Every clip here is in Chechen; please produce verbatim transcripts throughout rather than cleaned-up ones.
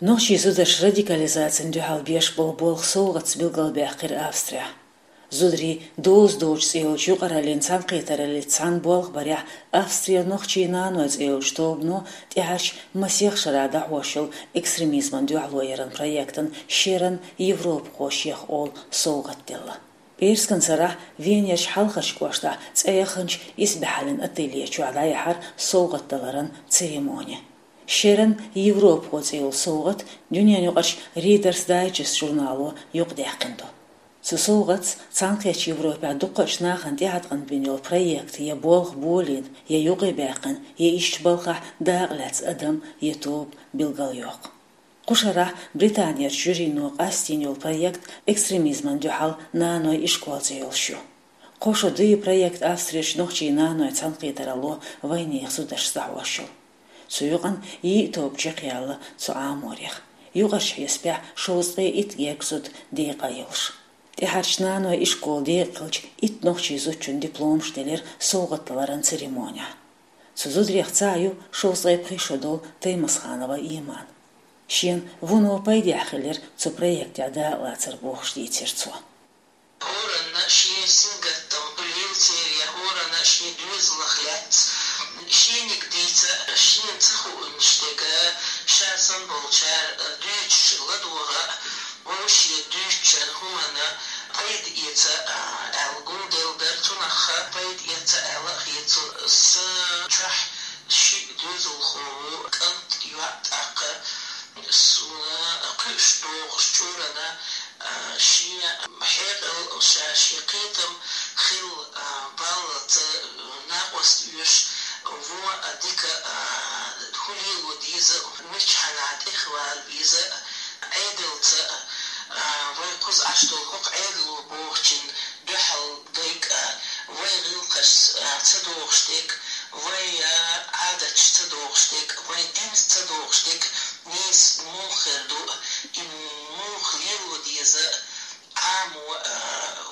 Нохчийн зударша радикализацин дуьхьал беш болу болх совгӀатца билгалбаьккхира Австрехь. Зударий доза доцу цӀе йолчу юкъараллин цхьаьнакхетараллица цхьаьна болх барехь, Австрера нохчийн наной цӀе йолчу тобано тӀаьхьарчу масех шарахь дӀахьош йолу экстремизман дуьхьало яран проектан шеран европахошех олу совгӀат делла. ПӀераскан сарахь Венерчу Хьалхарчу кӀоштахь цӀе яханчу исбаьхьаллин ателье чохь дӀаяьхьира совгӀат даларан церемони. Шеран европахо цӀе йолу совгӀат дуьненаюкъарчу Reader's Digest журнало юкъадаьккхина ду. Цу совгӀатца цхьаьнакхеттачу Европехь дукхачу нахана тӀеӀаткъам бина йолу проект я болх болийна, я юкъе баьккхина, я иштта балхахь дакъа лаьцна адам я тоба билгалйоккху. Кху шарахь Британерчу жюрино къастийна йолу проект экстремизман дуьхьал наной ишкол цӀе йолуш ю. Кхо шо дуй проект Австрерчу нохчийн наной цхьаьнакхетаралло вайнехан зударшца дӀахьош йолу. Цу юкъана йиъ тоба чекхъяьлла цу Ӏаморех. Юкъарчу хьесапехь шовзткъе итт гергга зуда декъа а йолуш. ТӀаьхьарчу наной ишколан декъа хилча, итт нохчийн зудчунна дипломаш делира совгӀат даларан церемонехь. Цу зударех цхьаъ ю шовзткъе пхи шо долу Таймасханова Иман. Шена вуно пайдехь хилира цу проектехь дакъалацар бохуш дийцира цо. ХӀоранна шен сингаттам лелацеран, хӀоранна шен доьзалх лаьцна, шениг дийца, шена ца хуург дерг, ша санна болчара дуьйцуш ладогӀа, вовшийн дуьйцучара хӀуманна пайда эца аьлла гулделла дара, цунах пайда эца аьлла хета суна. Сан чохь шиъ доьзалхо ву, кӀант, йоӀ, тӀаккха суна кхуьуш догӀуш чӀурана, а, шен хьекъал, ша шен кхетам хилла, а, баллалц, а, накъост оьшу, вон, а, дика, а, хӀун лело деза, мичхьанахь тӀехвала веза, Ӏедалца, а, вай кхуза Ӏаш долу хӀокху Ӏедало бохучун дуьхьал дерг, а, вай гӀиллакхашца, а, ца догӀуш дерг, вай, а, Ӏадаташца ца догӀуш дерг, вай динца ца догӀуш дерг, нийса муха хир ду, и муха лело деза, Ӏамо, а,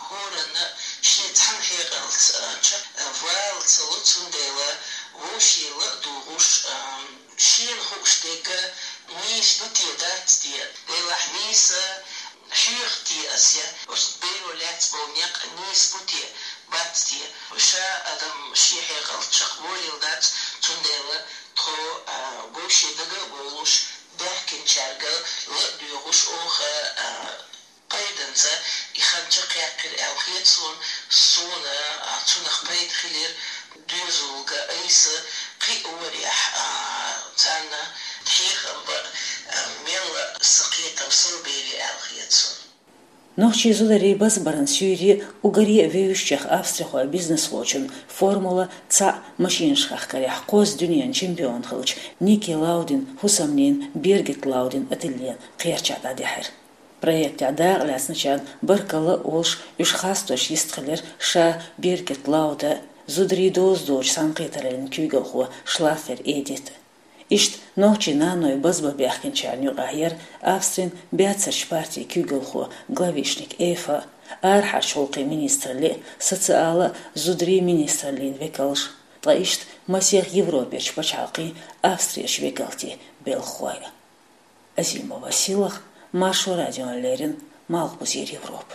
хӀоранна шен цхьана хьекъалца, а, чекхвала ца ло, цундела вовшийн ла а дугӀуш, а, шена хууш дерг нийса ду те, дац те, делахь нийса хьоьху те ас я, оцу беро лаьцна болу некъ нийса бу те, бац те. Ша адам шен хьекъалца чекхболийла дац, цундела тхо, а, вовшийн дага а бовлуш, баьхкинчаьрга ла а доьгӀуш, оха, а, пайданца и хан чекхъяьккхира аьлла хета суна, суна, а, цунах пайда хилира доьзалга айса кхин а варехь, а, царна хьехам бан, а, мелла сан кхетам сов беве аьлла хета суна. Нохчийн зударий базбаран суьйре уггаре а вевзачех австрихойн бизнесхочун формула цхьаъ машинашкахь карехь кхозза дуьненан чемпион хилча Ники Лаудин хӀусамнин Биргит Лаудин ательен кхерчахь дӀадаьхьира. Проектехь дакъа лаьцначарна баркалла а олуш, уьш хасторш йистхилира ша, Биргит Лауда, зударий доза доцучу цхьаьнакхетараллин куьйгалхо Шлаффер Эдита. Иштта нохчийн наной базбан баьхкинчарна юкъахь яра Австрин баьццарчу партин куьйгалхо Главишник Эйфа, арахьарчу гӀуллакхийн министраллин, социалан а, зударийн министраллин векалш, ткъа иштта масех Европерчу пачхьалкхийн Австрерчу векалатийн белхахой. Азимова Силах, Маршо радиона леррина, Малхбузера Европа.